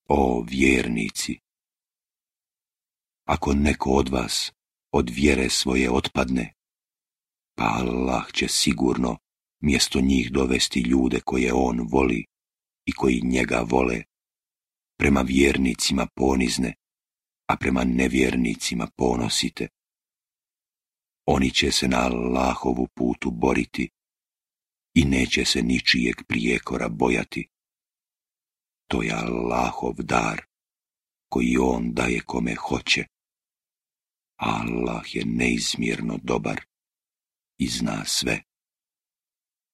O vjernici, ako neko od vas od vjere svoje otpadne, pa Allah će sigurno mjesto njih dovesti ljude koje on voli i koji njega vole, prema vjernicima ponizne, a prema nevjernicima ponosite. Oni će se na Allahovu putu boriti i neće se ničijeg prijekora bojati. To je Allahov dar, koji on daje kome hoće. Allah je neizmjerno dobar i zna sve.